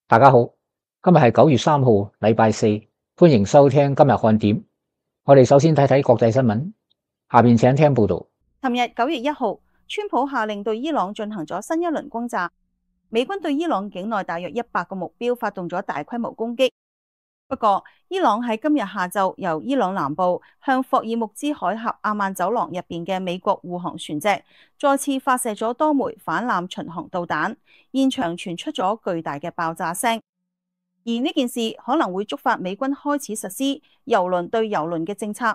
大家好，今日係9月3號，禮拜四，歡迎收聽今日看點。我哋首先睇睇國際新聞，下邊請聽報道。尋日9月1號，川普下令對伊朗進行咗新一輪轟炸，美軍對伊朗境內大約100個目標發動咗大規模攻擊。不過，伊朗喺今日下晝由伊朗南部向霍爾木茲海峽阿曼走廊入邊嘅美國護航船隻再次發射咗多枚反艦巡航導彈，現場傳出咗巨大嘅爆炸聲。而呢件事可能會觸發美軍開始實施郵輪對郵輪嘅政策。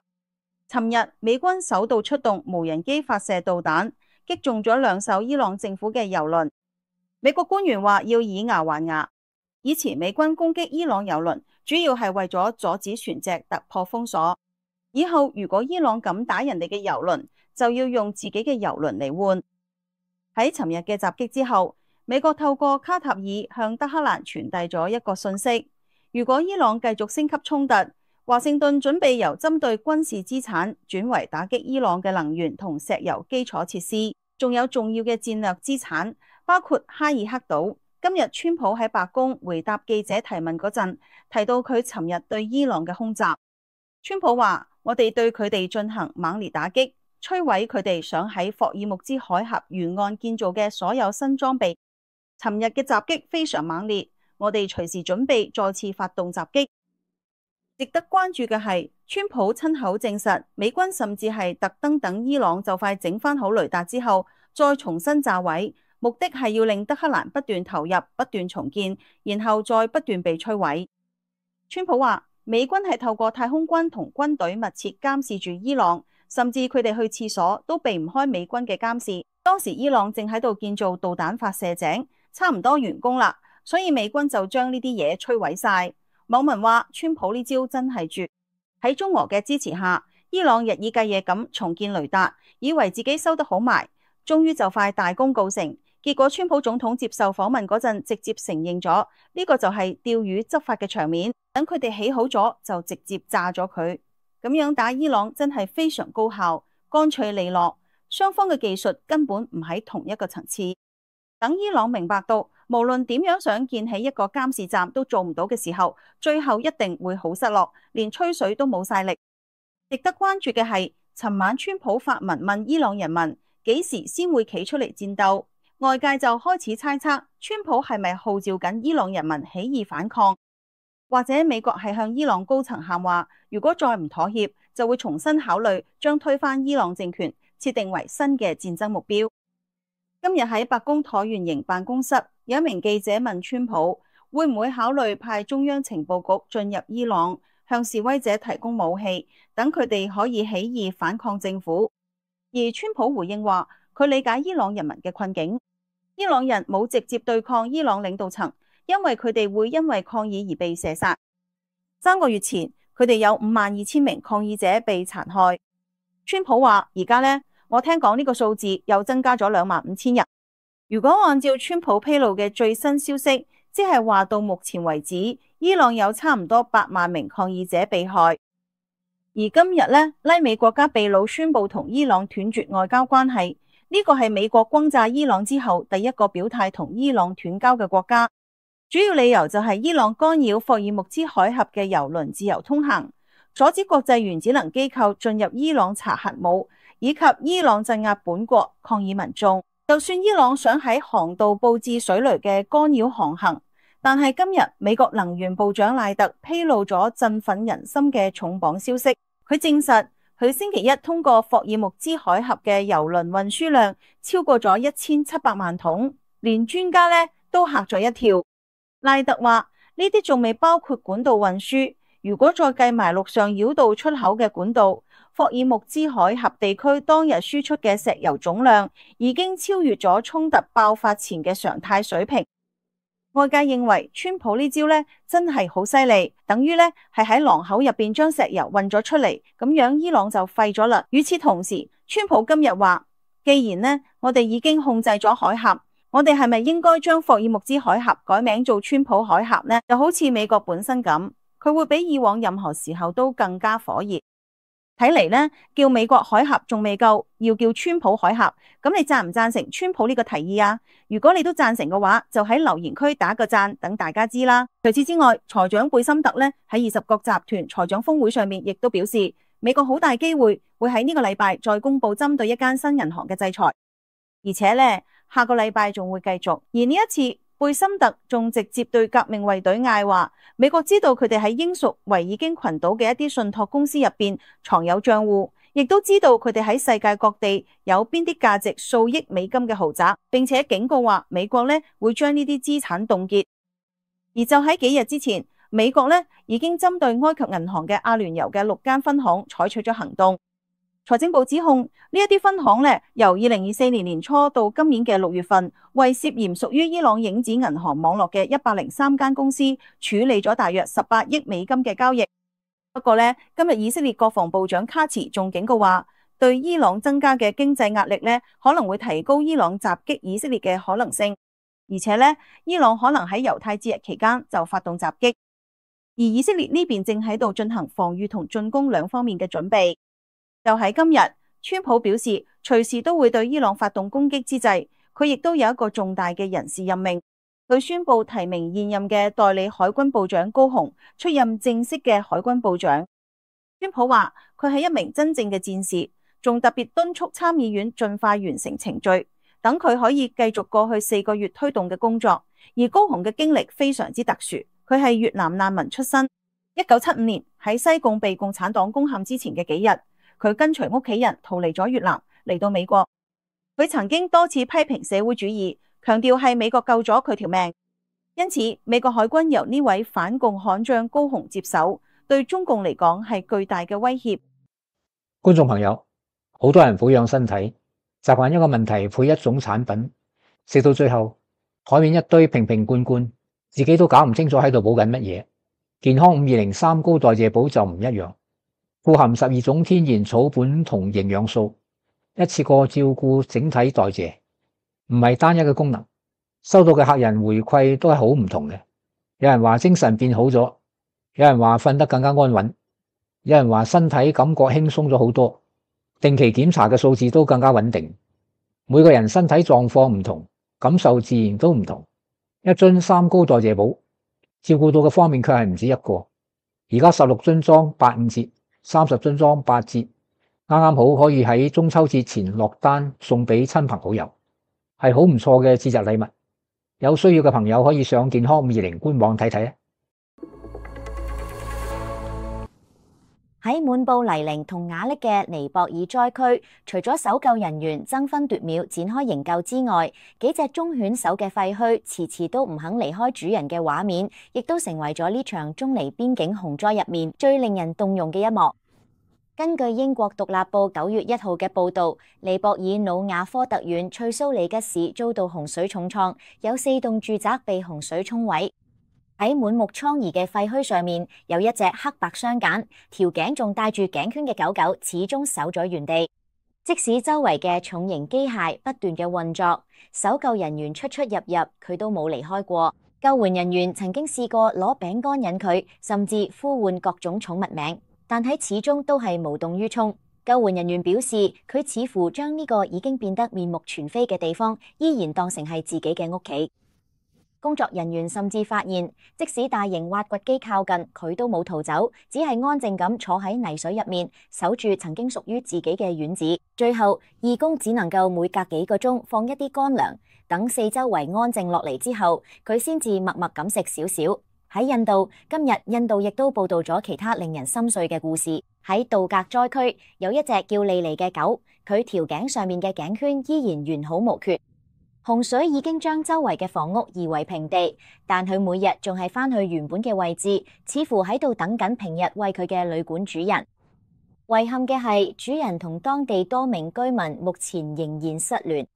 尋日，美軍首度出動無人機發射導彈，擊中咗2艘伊朗政府嘅郵輪。美國官員話要以牙還牙。以前美軍攻擊伊朗郵輪，主要係為咗阻止船隻突破封鎖。以後如果伊朗敢打人哋嘅郵輪，就要用自己嘅郵輪嚟換。喺尋日嘅襲擊之後，美國透過卡塔爾向德黑蘭傳遞咗一個訊息：如果伊朗繼續升級衝突，華盛頓準備由針對軍事資產轉為打擊伊朗嘅能源同石油基礎設施，仲有重要嘅戰略資產，包括哈爾克島。今日川普喺白宮回答記者提問嗰陣，提到佢尋日對伊朗嘅空襲。川普話：我哋對佢哋進行猛烈打擊，摧毀佢哋想喺霍爾木茲海峽沿岸建造嘅所有新裝備。尋日嘅襲擊非常猛烈，我哋隨時準備再次發動襲擊。值得關注嘅係，川普親口證實，美軍甚至係特登等伊朗就快整翻好雷達之後，再重新炸毀。目的係要令德黑蘭不斷投入、不斷重建，然後再不斷被摧毀。川普話，美軍係透過太空軍同軍隊密切監視住伊朗，甚至佢哋去廁所都避唔開美軍嘅監視。當時伊朗正喺度建造導彈發射井，差唔多完工啦，所以美軍就將呢啲嘢摧毀晒。網民話，川普呢招真係絕。喺中俄嘅支持下，伊朗日以繼夜咁重建雷達，以為自己收得好埋，終於就快大功告成。結果，川普總統接受訪問嗰陣，直接承認咗呢個就係釣魚執法嘅場面。等佢哋起好咗，就直接炸咗佢。咁樣打伊朗真係非常高效、乾脆利落。雙方嘅技術根本唔喺同一個層次。等伊朗明白到，無論點樣想建起一個監視站都做唔到嘅時候，最後一定會好失落，連吹水都冇晒力。值得關注嘅係，尋晚川普發文問伊朗人民幾時先會企出嚟戰鬥。外界就開始猜測，川普係咪號召緊伊朗人民起義反抗，或者美國係向伊朗高層喊話，如果再唔妥協，就會重新考慮將推翻伊朗政權設定為新嘅戰爭目標。今日喺白宮橢圓形辦公室，有一名記者問川普，會唔會考慮派中央情報局進入伊朗，向示威者提供武器，等佢哋可以起義反抗政府。而川普回應話，佢理解伊朗人民嘅困境。伊朗人冇直接對抗伊朗領導層，因為佢哋會因為抗議而被射殺。3個月前，佢哋有52000名抗議者被殘害。川普話：而家呢，我聽講呢個數字又增加咗25000人。如果按照川普披露嘅最新消息，即係話到目前為止，伊朗有差唔多8萬名抗議者被害。而今日呢，拉美國家秘魯宣布同伊朗斷絕外交關係。呢個係美國轟炸伊朗之後第一個表態同伊朗斷交嘅國家，主要理由就係伊朗干擾霍爾木茲海峽嘅郵輪自由通行，阻止國際原子能機構進入伊朗查核武，以及伊朗鎮壓本國抗議民眾。就算伊朗想喺航道佈置水雷嘅干擾航行，但係今日美國能源部長賴特披露咗振奮人心嘅重磅消息，佢證實佢星期一通過霍爾木茲海峽嘅郵輪運輸量超過咗1700萬桶，連專家呢都嚇咗一跳。賴特話呢啲仲未包括管道運輸，如果再計埋陸上繞道出口嘅管道，霍爾木茲海峽地區當日輸出嘅石油總量已經超越咗衝突爆發前嘅常態水平。外界認為川普呢招呢真係好犀利，等於呢係喺廊口入邊將石油運咗出嚟，咁樣伊朗就廢咗啦。與此同時，川普今日話，既然呢我哋已經控制咗海峽，我哋係咪應該將霍爾木茲海峽改名做川普海峽呢？就好似美國本身咁，佢會比以往任何時候都更加火熱。睇嚟呢，叫美國海峽仲未夠，要叫川普海峽。咁你贊唔贊成川普呢個提議啊？如果你都贊成嘅話，就喺留言區打個贊，等大家知啦。除此之外，財長貝森特呢喺20國集團財長峰會上面亦都表示，美國好大機會喺呢個禮拜再公布針對一間新銀行嘅制裁，而且呢，下個禮拜仲會繼續。而呢一次，貝森特仲直接對革命衛隊嗌話，美國知道佢哋喺英屬維爾京群島嘅一啲信託公司入邊藏有賬戶，亦都知道佢哋喺世界各地有邊啲價值數億美金嘅豪宅，並且警告話美國呢會將呢啲資產凍結。而就喺幾日之前，美國呢已經針對埃及銀行嘅阿聯酋嘅6間分行採取咗行動。財政部指控呢一啲分行呢，由2024年年初到今年嘅6月份，為涉嫌屬於伊朗影子銀行網絡嘅103間公司處理咗大約18億美金嘅交易。不過呢，今日以色列國防部長卡茨仲警告話，對伊朗增加嘅經濟壓力呢，可能會提高伊朗襲擊以色列嘅可能性，而且呢，伊朗可能喺猶太節日期間就發動襲擊，而以色列呢邊正喺度進行防禦同進攻兩方面嘅準備。就喺今日，川普表示隨時都會對伊朗發動攻擊之際，佢亦都有一個重大嘅人事任命。佢宣布提名現任嘅代理海軍部長高雄出任正式嘅海軍部長。川普話佢係一名真正嘅戰士，仲特別敦促參議院盡快完成程序，等佢可以繼續過去4個月推動嘅工作。而高雄嘅經歷非常之特殊，佢係越南難民出身。1975年喺西貢被共產黨攻陷之前嘅幾日，佢跟隨屋企人逃離咗越南，嚟到美國。佢曾經多次批評社會主義，強調係美國救咗佢條命。因此，美國海軍由呢位反共悍將高雄接手，對中共嚟講係巨大嘅威脅。觀眾朋友，好多人撫養身體，習慣一個問題配一種產品，食到最後台面一堆瓶瓶罐罐，自己都搞唔清楚喺度補緊乜嘢。健康520三高代謝寶就唔一樣。富含12種天然草本同營養素，一次過照顧整體代謝，唔係單一嘅功能。收到嘅客人回饋都係好唔同嘅，有人話精神變好咗，有人話瞓得更加安穩，有人話身體感覺輕鬆咗好多，定期檢查嘅數字都更加穩定。每個人身體狀況唔同，感受自然都唔同。一樽三高代謝寶，照顧到嘅方面卻係唔止一個。而家16樽裝85折。30樽裝8折，啱啱好可以喺中秋節前落單送俾親朋好友，係好唔錯嘅節日禮物。有需要嘅朋友可以上健康520官網睇睇。喺滿布泥濘同瓦礫嘅尼泊爾災區，除咗搜救人員爭分奪秒展開營救之外，幾隻忠犬守嘅廢墟遲遲都唔肯離開主人嘅畫面，亦都成為咗呢場中尼邊境洪災入面最令人動容嘅一幕。根據英國獨立報9月1號嘅報導，尼泊爾努瓦科特縣翠蘇里吉市遭到洪水重創，有4棟住宅被洪水沖毀。喺滿目瘡痍嘅廢墟上面，有一隻黑白相間、條頸仲戴住頸圈嘅狗狗，始終守咗原地。即使周圍嘅重型機械不斷嘅運作，搜救人員出出入入，佢都冇離開過。救援人員曾經試過攞餅乾引佢，甚至呼喚各種寵物名，但喺始終都係無動於衷。救援人員表示，佢似乎將呢個已經變得面目全非嘅地方，依然當成係自己嘅屋企。工作人員甚至發現，即使大型挖掘機靠近，佢都冇逃走，只係安靜咁坐喺泥水入面，守住曾經屬於自己嘅院子。最後，義工只能夠每隔幾個鐘放一啲乾糧，等四周圍安靜落嚟之後，佢先至默默咁食少少。喺印度，今日印度亦都報道咗其他令人心碎嘅故事。喺杜格災區，有一隻叫莉莉嘅狗，佢條頸上面嘅頸圈依然完好無缺。洪水已經將周圍嘅房屋夷為平地，但佢每日仲係返去原本嘅位置，似乎喺度等緊平日為佢嘅旅館主人。遺憾嘅係，主人同當地多名居民目前仍然失聯。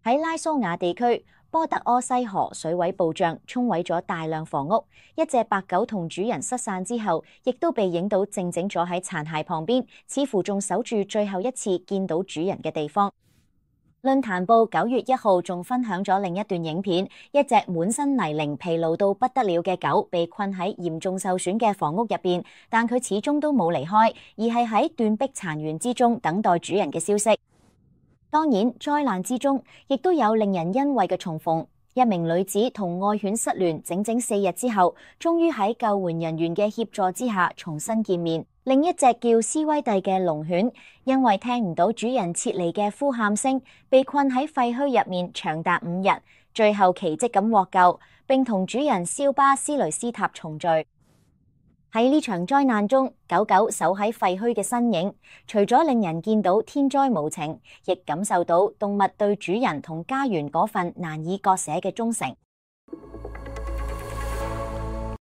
喺拉蘇瓦地區，波特柯西河水位暴漲，沖毀咗大量房屋。一隻白狗同主人失散之後，亦都被影到靜靜坐喺殘骸旁邊，似乎仲守住最後一次見到主人嘅地方。論壇報9月1號仲分享咗另一段影片，一隻滿身泥濘、疲勞到不得了嘅狗被困喺嚴重受損嘅房屋入邊，但佢始終都冇離開，而係喺斷壁殘垣之中等待主人嘅消息。當然，災難之中亦都有令人欣慰嘅重逢。一名女子同愛犬失聯整整4日之後，終於喺救援人員嘅協助之下重新見面。另一隻叫斯威蒂嘅龍犬，因為聽唔到主人撤離嘅呼喊聲，被困喺廢墟入面長達5日，最後奇蹟咁獲救，並同主人肖巴斯雷斯塔重聚。喺呢場災難中，狗狗守喺廢墟嘅身影，除咗令人見到天災無情，亦感受到動物對主人同家園嗰份難以割捨嘅忠誠。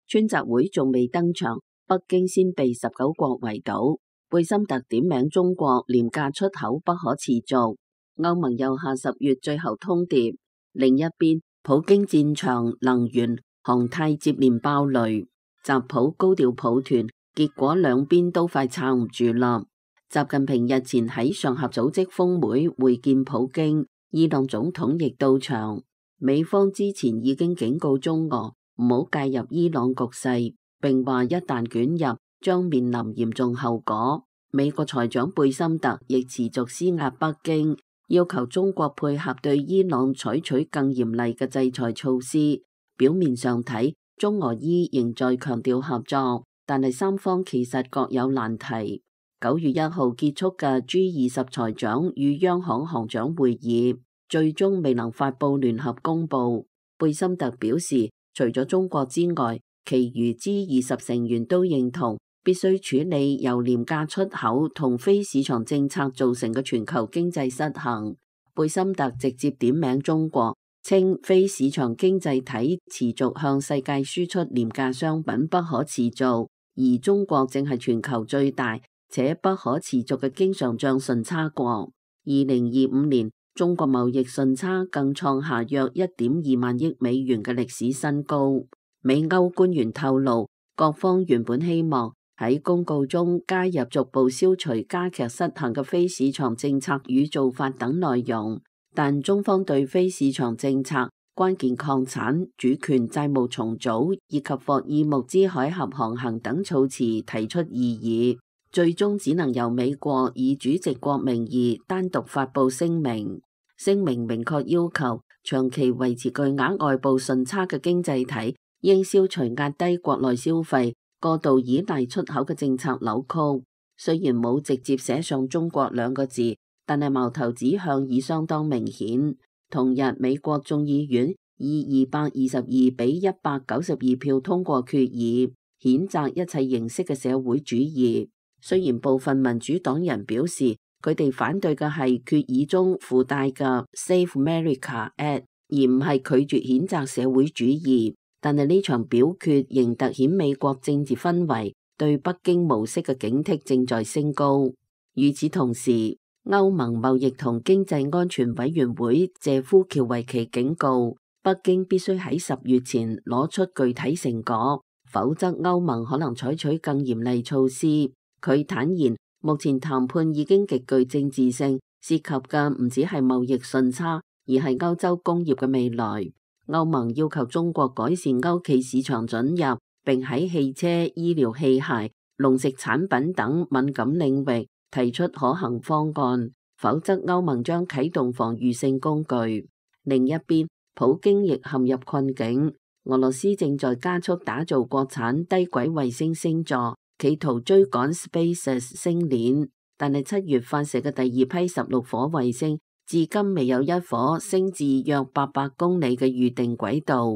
川習會仲未登場，北京先被19國圍堵。貝森特點名中國廉價出口不可持續。歐盟又下10月最後通牒。另一邊，普京戰場能源、航太接連爆雷。習普高調抱團，結果兩邊都快撐唔住啦。習近平日前喺上合組織峰會會見普京，伊朗總統亦到場。美方之前已經警告中俄唔好介入伊朗局勢，並話一旦捲入將面臨嚴重後果。美國財長貝森特亦持續施壓北京，要求中國配合對伊朗採取更嚴厲嘅制裁措施。表面上睇，中俄伊仍在強調合作，但係三方其實各有難題。9月1號結束嘅 G20財長與央行行長會議，最終未能發佈聯合公報。貝森特表示，除咗中國之外，其餘 G20成員都認同必須處理由廉價出口同非市場政策造成嘅全球經濟失衡。貝森特直接點名中國，稱非市場經濟體持續向世界輸出廉價商品不可持續，而中國正係全球最大且不可持續嘅經常帳順差國。2025年，中國貿易順差更創下約1.2萬億美元嘅歷史新高。美歐官員透露，各方原本希望喺公告中加入逐步消除加劇失衡嘅非市場政策與做法等內容。但中方對非市場政策、關鍵礦產、主權債務重組以及霍爾木茲海峽航行等措辭提出異議，最終只能由美國以主席國名義單獨發布聲明。聲明明確要求長期維持巨額外部順差嘅經濟體應消除壓低國內消費、過度依賴出口嘅政策扭曲。雖然冇直接寫上中國2個字，但係矛頭指向已相當明顯。同日，美國眾議院以222比192票通過決議，譴責一切形式嘅社會主義。雖然部分民主黨人表示，佢哋反對嘅係決議中附帶嘅 Save America Act， 而唔係拒絕譴責社會主義。但係呢場表決仍凸顯美國政治氛圍對北京模式嘅警惕正在升高。與此同時，歐盟貿易同經濟安全委員會謝夫喬維奇警告，北京必須喺10月前攞出具體成果，否則歐盟可能採取更嚴厲措施。佢坦言，目前談判已經極具政治性，涉及嘅唔只係貿易順差，而係歐洲工業嘅未來。歐盟要求中國改善歐企市場准入，並喺汽車、醫療器械、農食產品等敏感領域提出可行方案，否則歐盟將啟動防禦性工具。另一邊，普京亦陷入困境。俄羅斯正在加速打造國產低軌衛星星座，企圖追趕 SpaceX 星鏈，但係7月發射嘅第2批16顆衛星，至今未有一顆升至約800公里嘅預定軌道。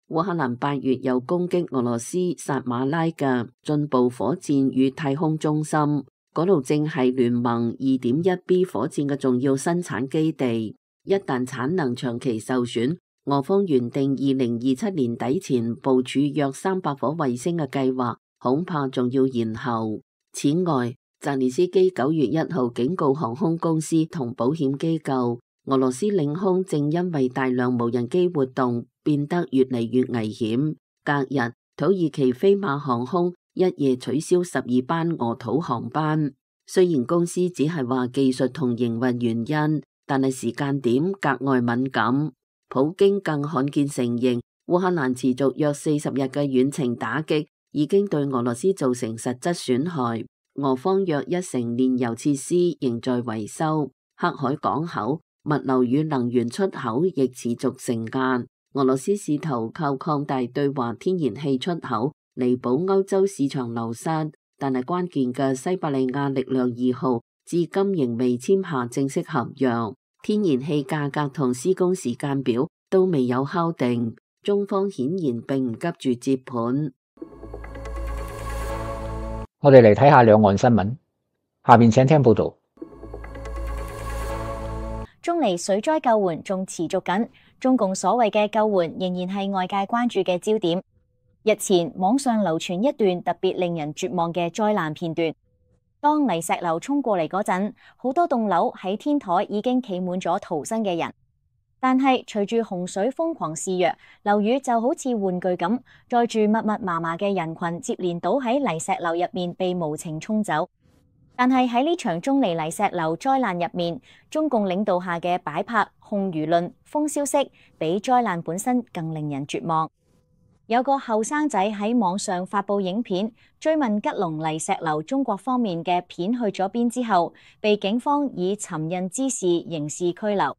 烏克蘭8月又攻擊俄羅斯薩馬拉嘅進步火箭與太空中心。嗰度正係聯盟 2.1B 火箭嘅重要生產基地，一旦產能長期受損，俄方原定2027年底前部署約300顆衛星嘅計劃，恐怕仲要延後。此外，澤連斯基9月1號警告航空公司同保險機構，俄羅斯領空正因為大量無人機活動變得越嚟越危險。隔日，土耳其飛馬航空一夜取消12班俄土航班，雖然公司只係話技術同營運原因，但係時間點格外敏感。普京更罕見承認，烏克蘭持續約40日嘅遠程打擊已經對俄羅斯造成實質損害。俄方約1成煉油設施仍在維修，黑海港口、物流與能源出口亦持續承壓。俄羅斯試圖靠擴大對華天然氣出口彌補歐洲市場流失，但係關鍵嘅西伯利亞力量2號至今仍未簽下正式合約，天然氣價格同施工時間表都未有敲定。中方顯然並唔急住接盤。我哋嚟睇下兩岸新聞，下面請聽報道。中尼水災救援仲持續緊，中共所謂嘅救援仍然係外界關注嘅焦點。日前網上流傳一段特別令人絕望嘅災難片段，當泥石流衝過嚟嗰陣，好多棟樓喺天台已經企滿咗逃生嘅人。但係隨住洪水瘋狂肆虐，樓宇就好似玩具咁，載住密密麻麻嘅人群接連倒喺泥石流入面，被無情沖走。但係喺呢場中尼泥石流災難入面，中共領導下嘅擺拍、控輿論、封消息，比災難本身更令人絕望。有個後生仔喺網上發佈影片，追問吉隆泥石流中國方面嘅片去咗邊之後，被警方以尋釁滋事刑事拘留。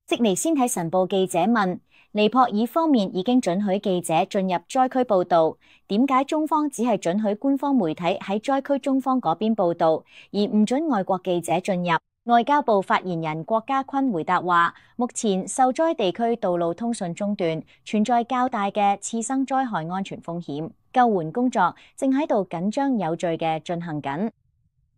悉尼先睇晨報記者問，尼泊爾方面已經准許記者進入災區報道，點解中方只係准許官方媒體喺災區中方嗰邊報道，而唔准外國記者進入？外交部發言人郭家坤回答話，目前受災地區道路通訊中斷，存在較大嘅次生災害安全風險，救援工作正喺度緊張有序嘅進行緊。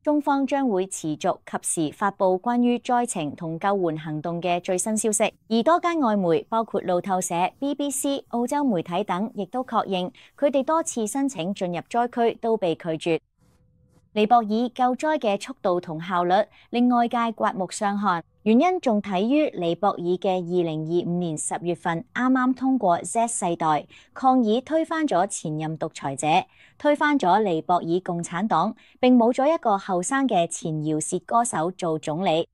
中方將會持續及時發布關於災情同救援行動嘅最新消息，而多間外媒包括路透社、BBC、澳洲媒體等，亦都確認佢哋多次申請進入災區都被拒絕。尼泊爾救災嘅速度同效率令外界刮目相看，原因仲睇於尼泊爾嘅2025年10月份啱啱通過 Z 世代抗議推翻咗前任獨裁者，推翻咗尼泊爾共產黨，並冇咗一個後生嘅前饒舌歌手做總理。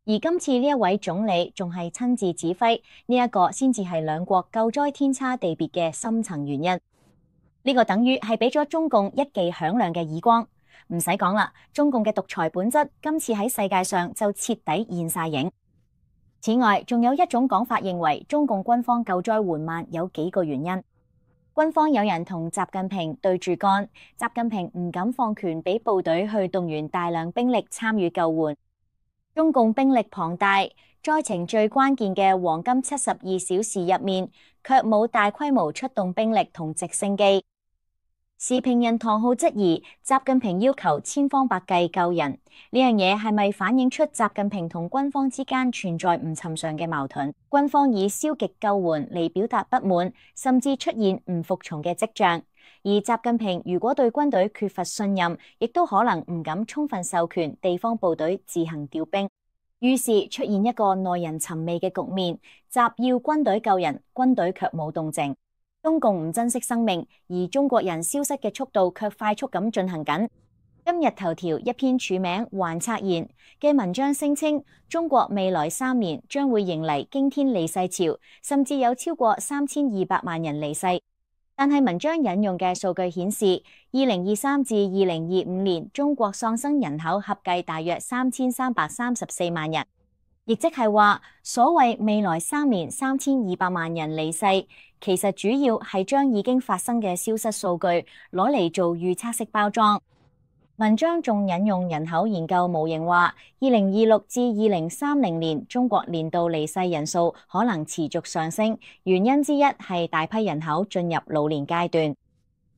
而今次呢一位總理仲係親自指揮，呢一個先至係兩國救災天差地別嘅深層原因。呢個等於係俾咗中共一記響亮嘅耳光。唔使講啦，中共嘅獨裁本質今次喺世界上就徹底現晒影。此外，仲有一種講法認為中共軍方救災緩慢有幾個原因。軍方有人同習近平對住幹，習近平唔敢放權俾部隊去動員大量兵力參與救援。中共兵力龐大，災情最關鍵嘅黃金72小時入面，卻冇大規模出動兵力同直升機。時評人唐浩質疑習近平要求千方百計救人，呢樣嘢係咪反映出習近平同軍方之間存在唔尋常嘅矛盾？軍方以消極救援嚟表達不滿，甚至出現唔服從嘅跡象。而習近平如果對軍隊缺乏信任，亦都可能唔敢充分授權地方部隊自行調兵，於是出現一個耐人尋味嘅局面：習要軍隊救人，軍隊卻冇動靜。中共唔珍惜生命，而中國人消失嘅速度卻快速咁進行緊。今日頭條一篇署名還策言嘅文章聲稱，中國未來3年將會迎嚟驚天離世潮，甚至有超過3200萬人離世。但係文章引用嘅數據顯示，2023至2025年中國喪生人口合計大約3334萬人。亦即係話，所謂未來3年3200萬人離世，其實主要係將已經發生嘅消失數據攞嚟做預測式包裝。文章仲引用人口研究模型話，2026至2030年中國年度離世人數可能持續上升，原因之一係大批人口進入老年階段。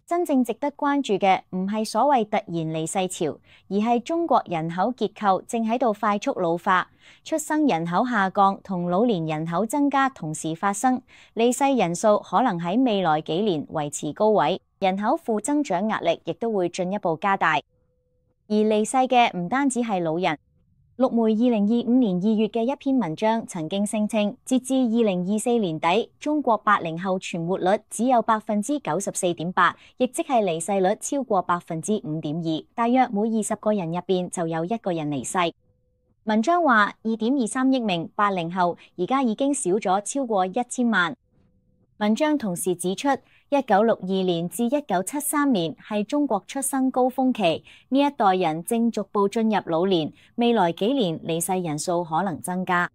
真正值得關注嘅唔係所謂突然離世潮，而係中國人口結構正喺度快速老化，出生人口下降同老年人口增加同時發生，離世人數可能喺未來幾年維持高位，人口負增長壓力亦都會進一步加大。而離世嘅唔單止係老人。陸媒2025年2月嘅一篇文章曾經聲稱，截至2024年底，中國80後存活率只有 94.8%， 亦即係離世率超過 5.2%， 大約每20個人入邊就有1個人離世。文章話2.23億名80後而家已經少咗超過1000萬。文章同時指出，1962年至1973年係中國出生高峰期，呢一代人正逐步進入老年，未來幾年離世人數可能增加。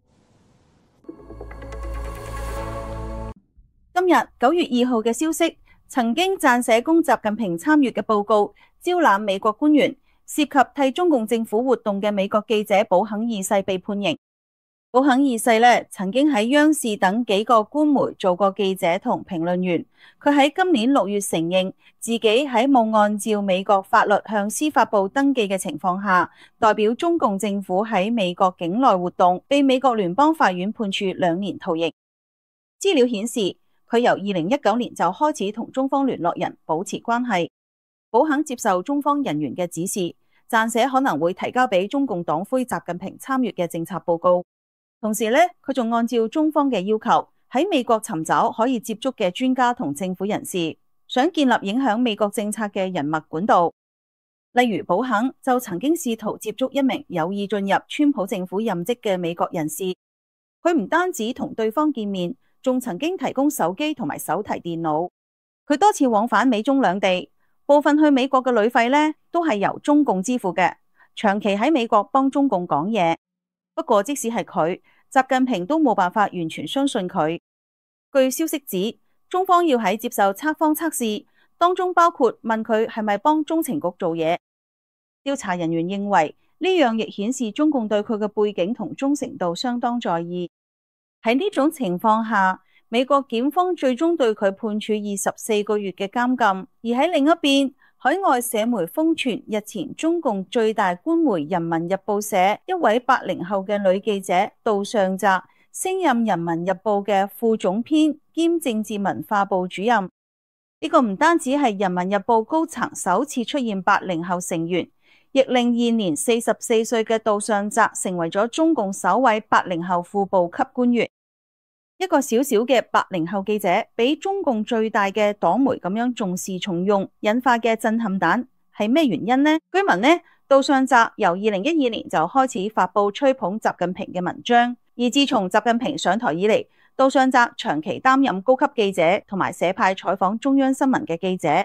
今日9月2號嘅消息，曾經撰寫供習近平參閱嘅報告，招攬美國官員，涉及替中共政府活動嘅美國記者保肯二世被判刑。保肯二世曾經喺央視等幾個官媒做過記者同評論員。佢喺今年6月承認自己喺冇按照美國法律向司法部登記嘅情況下，代表中共政府喺美國境內活動，被美國聯邦法院判處2年徒刑。資料顯示，佢由2019年就開始同中方聯絡人保持關係。保肯接受中方人員嘅指示，撰寫可能會提交俾中共黨魁習近平參閱嘅政策報告。同時佢仲按照中方嘅要求，喺美國尋找可以接觸嘅專家同政府人士，想建立影響美國政策嘅人脈管道。例如保肯就曾經試圖接觸一名有意進入川普政府任職嘅美國人士，佢唔單止同對方見面，仲曾經提供手機同埋手提電腦。佢多次往返美中兩地，部分去美國嘅旅費都係由中共支付嘅，長期喺美國幫中共講嘢。不過即使係佢，習近平都冇辦法完全相信佢。據消息指，中方要喺接受測謊測試，當中包括問佢係咪幫中情局做嘢。調查人員認為呢樣亦顯示中共對佢嘅背景同忠誠度相當在意。喺呢種情況下，美國檢方最終對佢判處24個月嘅監禁。而喺另一邊，海外社媒瘋傳日前中共最大官媒《人民日報》社一位80後嘅女記者杜尚澤升任《人民日報》嘅副總編兼政治文化部主任。呢個唔單止係《人民日報》高層首次出現80後成員，亦令現年44歲嘅杜尚澤成為咗中共首位80後副部級官員。一個小小嘅80後記者，比中共最大嘅黨媒咁樣重視重用，引發嘅震撼彈係咩原因呢？據聞杜尚澤由2012年就開始發布吹捧習近平嘅文章，而自從習近平上台以嚟，杜尚澤長期擔任高級記者同埋社派採訪中央新聞嘅記者。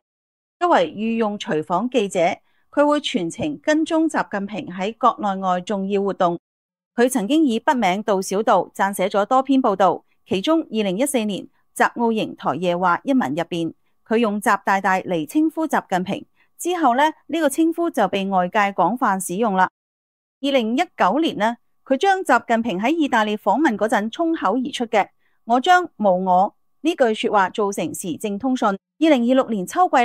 作為御用隨訪記者，佢會全程跟蹤習近平喺國內外重要活動。佢曾經以筆名杜小道撰寫咗多篇報道。其中2014年習奧營台夜話一文入邊，佢用習大大嚟稱呼習近平，之後呢個稱呼就被外界廣泛使用啦。2019年佢將習近平喺意大利訪問嗰陣衝口而出嘅我將無我呢句說話做成時政通訊。2026年秋季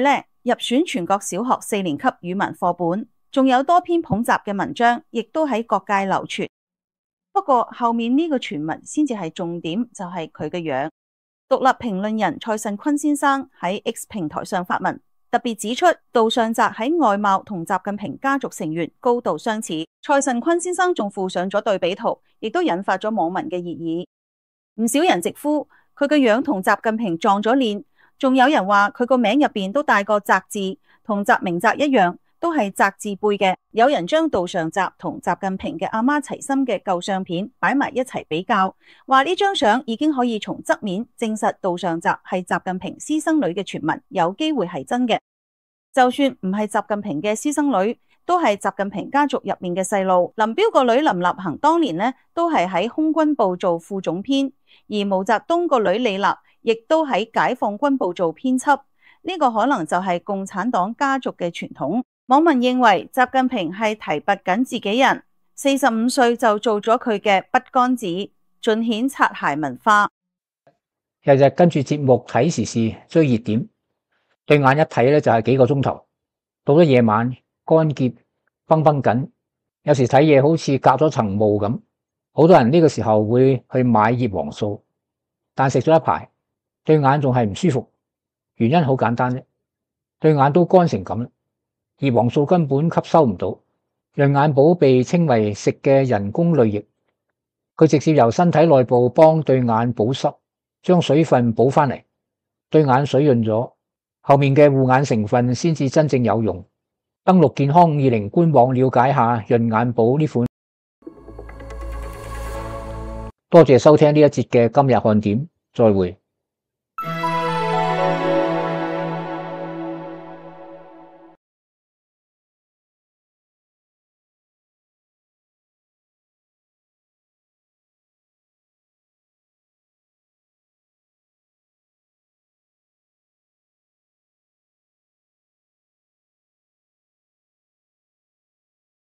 入選全國小學4年級語文課本，仲有多篇捧習嘅文章，亦都喺各界流傳。不過後面呢個傳聞先至係重點，就係佢嘅樣。獨立評論人蔡慎坤先生喺 X 平台上發文，特別指出杜尚澤喺外貌同習近平家族成員高度相似。蔡慎坤先生仲附上咗對比圖，亦都引發咗網民嘅熱議。唔少人直呼佢嘅樣同習近平撞咗臉，仲有人話佢個名入邊都帶個澤字，同習明澤一樣，都係澤字輩嘅。有人將杜尚澤同習近平嘅阿媽齊心嘅舊相片擺埋一齊比較，話呢張相已經可以從側面證實杜尚澤係習近平私生女嘅傳聞有機會係真嘅。就算唔係習近平嘅私生女，都係習近平家族入面嘅細路。林彪個女林立行當年都係喺空軍部做副總編，而毛澤東個女李立亦都喺解放軍部做編輯。呢個可能就係共產黨家族嘅傳統。網民認為習近平係提拔緊自己人，45歲就做咗佢嘅筆桿子，盡顯擦鞋文化。日日跟住節目睇時事追熱點，對眼一睇就係幾個鐘頭，到咗夜晚乾澀繃繃緊，有時睇嘢好似隔咗層霧咁。好多人呢個時候會去買葉黃素，但食咗一排，對眼仲係唔舒服，原因好簡單啫，對眼都乾成咁啦。葉黃素根本吸收唔到，潤眼寶被稱為食嘅人工淚液，佢直接由身體內部幫對眼保濕，將水分補翻嚟，對眼水潤咗，後面嘅護眼成分先至真正有用。登錄健康520官網了解下潤眼寶呢款。多謝收聽呢一節嘅今日看點，再會。